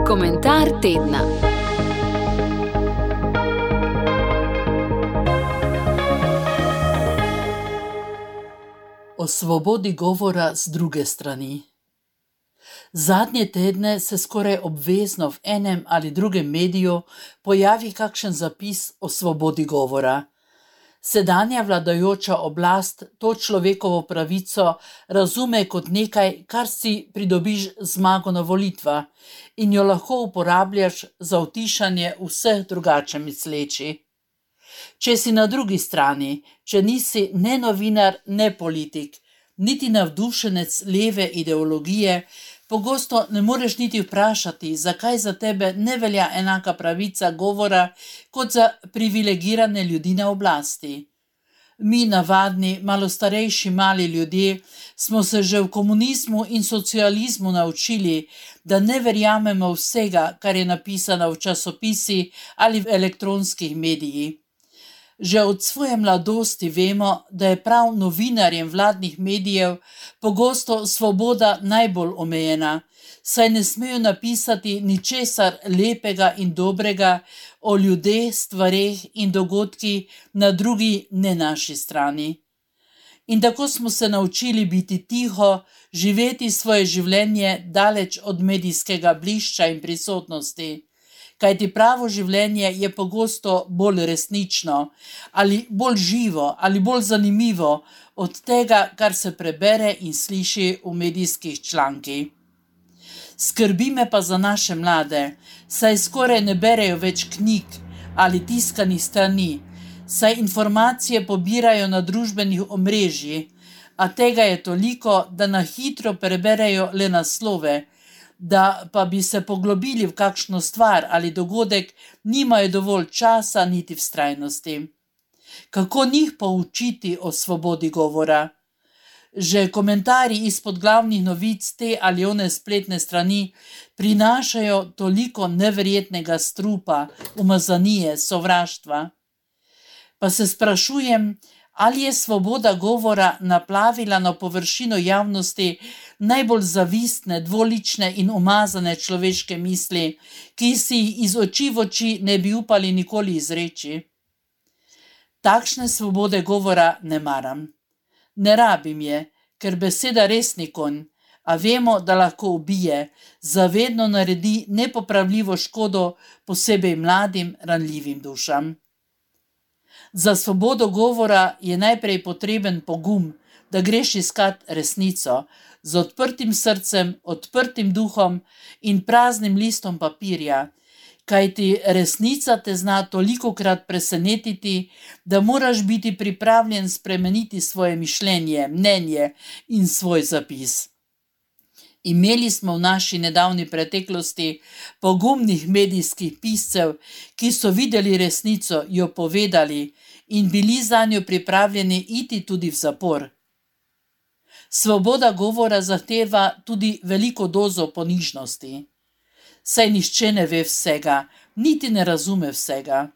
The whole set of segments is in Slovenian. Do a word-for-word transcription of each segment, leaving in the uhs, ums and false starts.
Komentar tedna. O svobodi govora z druge strani. Zadnje tedne se skoraj obvezno v enem ali drugem mediju pojavi kakšen zapis o svobodi govora. Sedanja vladajoča oblast to človekovo pravico razume kot nekaj, kar si pridobiš zmago na volitvah in jo lahko uporabljaš za utišanje vseh drugače mislečih. Če si na drugi strani, če nisi ne novinar, ne politik, niti navdušenec leve ideologije, pogosto ne moreš niti vprašati, zakaj za tebe ne velja enaka pravica govora kot za privilegirane ljudi na oblasti. Mi, navadni, malo starejši mali ljudje, smo se že v komunizmu in socializmu naučili, da ne verjamemo vsega, kar je napisano v časopisih ali v elektronskih medijih. Že od svoje mladosti vemo, da je prav novinarjem vladnih medijev pogosto svoboda najbolj omejena, saj ne smejo napisati ničesar lepega in dobrega o ljudeh, stvareh in dogodkih na drugi, ne naši strani. In tako smo se naučili biti tiho, živeti svoje življenje daleč od medijskega blišča in prisotnosti. Kajti pravo življenje je pogosto bolj resnično, ali bolj živo, ali bolj zanimivo od tega, kar se prebere in sliši v medijskih člankih. Skrbi me pa za naše mlade, saj skoraj ne berejo več knjig ali tiskanih strani, saj informacije pobirajo na družbenih omrežjih, a tega je toliko, da na hitro preberejo le naslove, da pa bi se poglobili v kakšno stvar ali dogodek, nimajo dovolj časa niti vztrajnosti. Kako njih poučiti o svobodi govora? Že komentarji izpod glavnih novic te ali one spletne strani prinašajo toliko neverjetnega strupa, umazanije, sovraštva. Pa se sprašujem, ali je svoboda govora naplavila na površino javnosti najbolj zavistne, dvolične in umazane človeške misli, ki si jih iz oči v oči ne bi upali nikoli izreči. Takšne svobode govora ne maram. Ne rabim je, ker beseda res ni konj, a vemo, da lahko ubije, zavedno naredi nepopravljivo škodo posebej mladim, ranljivim dušam. Za svobodo govora je najprej potreben pogum, da greš iskat resnico, z odprtim srcem, odprtim duhom in praznim listom papirja, kajti resnica te zna tolikokrat presenetiti, da moraš biti pripravljen spremeniti svoje mišljenje, mnenje in svoj zapis. Imeli smo v naši nedavni preteklosti pogumnih medijskih piscev, ki so videli resnico, jo povedali in bili zanjo pripravljeni iti tudi v zapor. Svoboda govora zahteva tudi veliko dozo ponižnosti. Saj nihče ne ve vsega, niti ne razume vsega.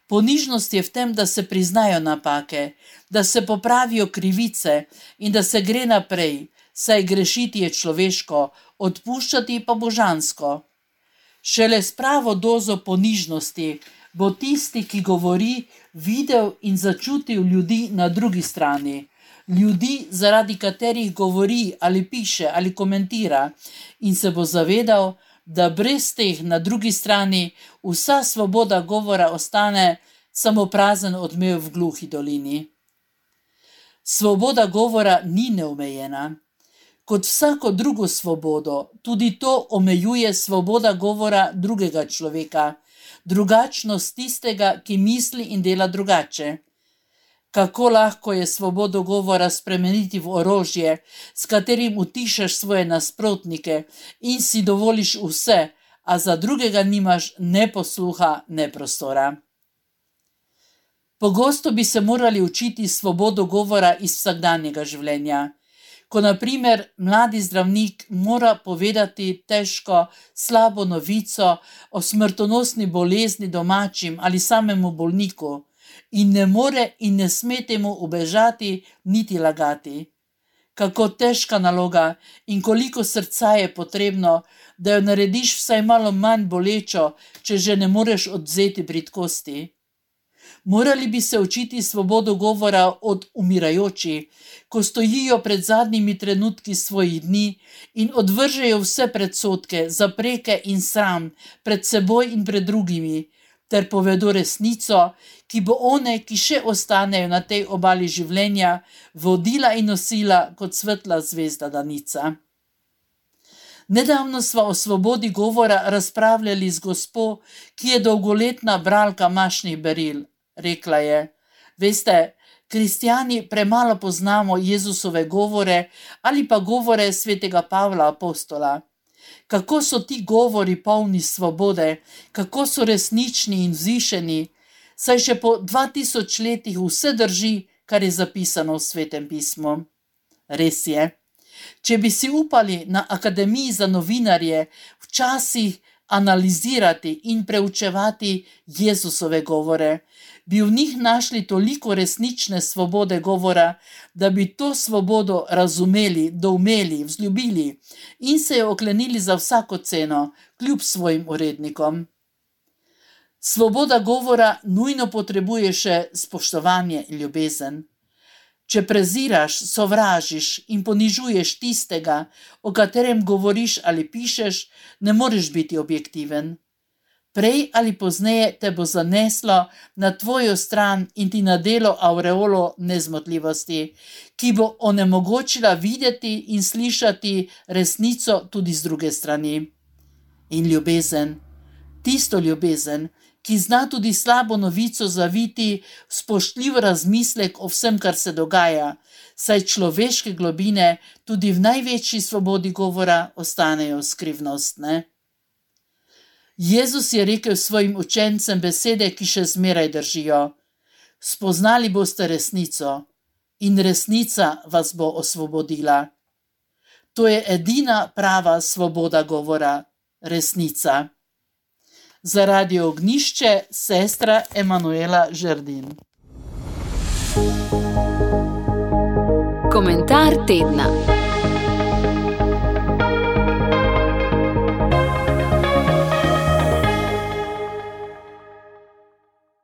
Ponižnost je v tem, da se priznajo napake, da se popravijo krivice in da se gre naprej, saj grešiti je človeško, odpuščati pa božansko. Šele s pravo dozo ponižnosti bo tisti, ki govori, videl in začutil ljudi na drugi strani, ljudi, zaradi katerih govori ali piše ali komentira, in se bo zavedal, da brez teh na drugi strani vsa svoboda govora ostane samo prazen odmev v gluhi dolini. Svoboda govora ni neomejena. Kot vsako drugo svobodo, tudi to omejuje svoboda govora drugega človeka, drugačnost tistega, ki misli in dela drugače. Kako lahko je svobodo govora spremeniti v orožje, s katerim utišaš svoje nasprotnike in si dovoliš vse, a za drugega nimaš ne posluha, ne prostora. Pogosto bi se morali učiti svobodo govora iz vsakdanjega življenja. Ko na primer mladi zdravnik mora povedati težko, slabo novico o smrtonosni bolezni domačim ali samemu bolniku in ne more in ne sme temu ubežati niti lagati. kako težka naloga in koliko srca je potrebno, da jo narediš vsaj malo manj bolečo, če že ne moreš odvzeti bridkosti. Morali bi se učiti svobodo govora od umirajočih, ko stojijo pred zadnjimi trenutki svojih dni in odvržejo vse predsodke, zapreke in sram pred seboj in pred drugimi, ter povedo resnico, ki bo one, ki še ostanejo na tej obali življenja, vodila in nosila kot svetla zvezda danica. Nedavno sva o svobodi govora razpravljali z gospo, ki je dolgoletna bralka mašnih beril. Rekla je: veste, kristjani premalo poznamo Jezusove govore ali pa govore svetega Pavla apostola. Kako so ti govori polni svobode, kako so resnični in vzvišeni, saj še po dva tisoč letih vse drži, kar je zapisano v Svetem pismu. Res je, če bi si upali na Akademiji za novinarje včasih analizirati in preučevati Jezusove govore, bi v njih našli toliko resnične svobode govora, da bi to svobodo razumeli, doumeli, vzljubili in se jo oklenili za vsako ceno, kljub svojim urednikom. Svoboda govora nujno potrebuje še spoštovanje in ljubezen. Če preziraš, sovražiš in ponižuješ tistega, o katerem govoriš ali pišeš, ne moreš biti objektiven. Prej ali pozneje te bo zaneslo na tvojo stran in ti nadelo aureolo nezmotljivosti, ki bo onemogočila videti in slišati resnico tudi z druge strani. In ljubezen, tisto ljubezen, ki zna tudi slabo novico zaviti v spoštljiv razmislek o vsem, kar se dogaja, saj človeške globine tudi v največji svobodi govora ostanejo skrivnostne. Jezus je rekel svojim učencem besede, ki še zmeraj držijo: spoznali boste resnico in resnica vas bo osvobodila. To je edina prava svoboda govora, resnica. Za Radio Ognjišče, sestra Emanuela Žerdin. Komentar tedna.